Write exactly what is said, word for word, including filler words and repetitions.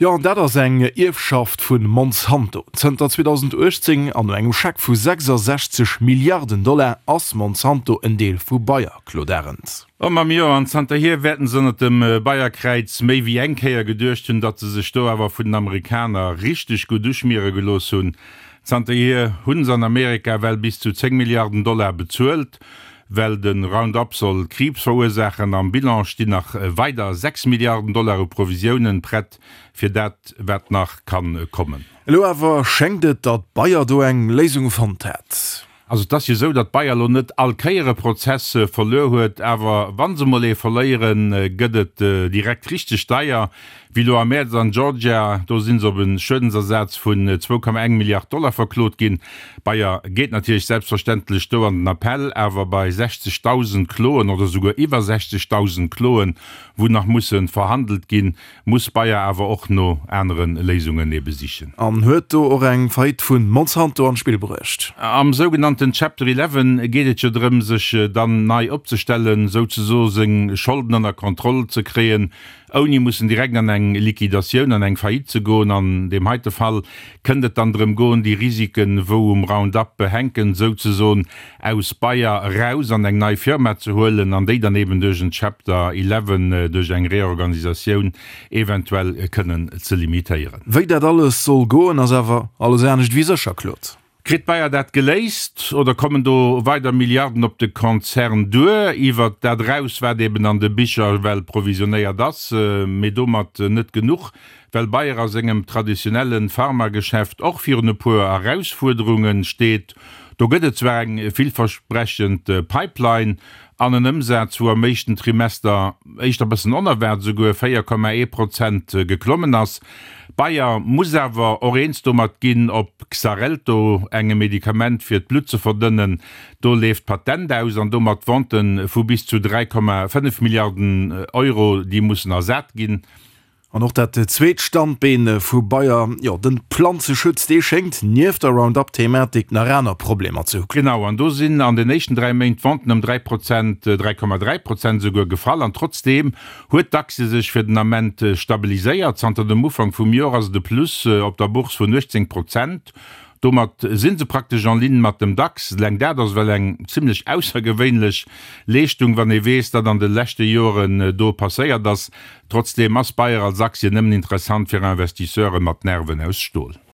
Jo, an dat ass eng Ierfschaft vu Monsanto. Zënter zweedausenduechtzéng an no engem Scheck vu sechsasechzeg Milliarden Dollar ass Monsanto en Deel vu Bayer, Claude Arend. Oh Mamm, jo, an zanterhier wäerten se ënnert dem Bayer-Kräiz méi wéi eng Kéier geduecht hunn, datt se sech do awer vun den Amerikaner richteg gutt uschmiere gelooss hunn. Zanterhier hunn se an Amerika well bis zu zéng Milliarden Dollar bezuelt, well de Roundup soll Kriibs verursaachen. Am Bilan stinn nach weider sechs Milliarden Dollar u Provisiounen prett fir dat, wat nach kann kommen. Elo awer schéngt et, datt Bayer do eng Léisung fonnt hätt. Also et ass jo esou, datt Bayer elo net all Kéier e Prozess verluer huet, awer wa se mol ee verléieren, gëtt et direkt richteg deier, wéi elo am Mäerz an Georgia. Do si se op e Schuedensersaz vun zwou Komma eng Milliard Dollar verklot ginn. Bayer geet natierlech selbstverständlech do an den Appell, awer bei sechzegdausend Kloen oder souguer iwwer sechzegdausend Kloen, wou nach musse verhandelt ginn, muss Bayer awer och no anere Léisungen ebe sichen. An huet do och eng Faillite vu Monsanto an d'Spill bruecht. Am sougenannten Chapter Eleven geet et jo drëm, sech dann nei opzestellen, souzesoe seng Scholden ënner Kontroll ze kréien, ouni mussen direkt an eng Liquidatioun, an eng Faillite ze goen. An deem heite Fall kënnt et dann drëm goen, déi Risiken, wou um Roundup hänken, souzesoen aus Bayer eraus an eng nei Firma ze huelen an déi dann eben duerch en Chapter Eleven, duerch eng Reorganisatioun eventuell kënnen ze limitéieren. Wéi dat alles soll goen, ass awer alles anescht wéi sécher, Claude. Kritt Bayer dat geléist oder kommen do weider Milliarden op de Konzern duer, iwwert dat eraus, wat eben an de Bicher ewell provisionéiert ass? Mee domat net genuch, well Bayer a sengem traditionelle Pharmageschäft och virun e puer Erausfuerderunge steet. Do gëtt et zwar eng villversprechend Pipeline an en Ëmsaz, wou am éischten Trimester, éischter bëssen onerwaart esouguer, véier Komma ee Prozent geklommen ass. Bayer muss awer och eens domat ginn, op Xarelto, engem Medikament fir d'Blutt ze verdënnen, do leeft d'Patent aus an domat d'Vente vu bis zu dräi Komma fënnef Milliarden Euro, déi mussen ersat ginn. An och dat zweet Standbeen vu Bayer, jo den Planzeschutz, dee schéngt nieft der Roundup-Thematik nach aner Problemer ze hu. Genau, an do sinn an den éischten dräi Méint d'Venten ëm dräi Prozent, dräi Komma dräi Prozent esouguer, gefall. An trotzdeem huet d'Aktie sech fir den Ament stabiliséiert. Zanter dem Ufank vum Joer ass et e Plus op der Bourse vun uechtzéng Prozent. Domat si se praktesch en ligne mat dem DAX. Eleng dat ass well eng zimlech aussergewéinlech Leeschtung, wann ee weess, wat an de leschte Joren do passéiert ass. Trotzdeem ass Bayer als Aktie nëmmen interessant fir Investisseure mat Nerven aus Stol.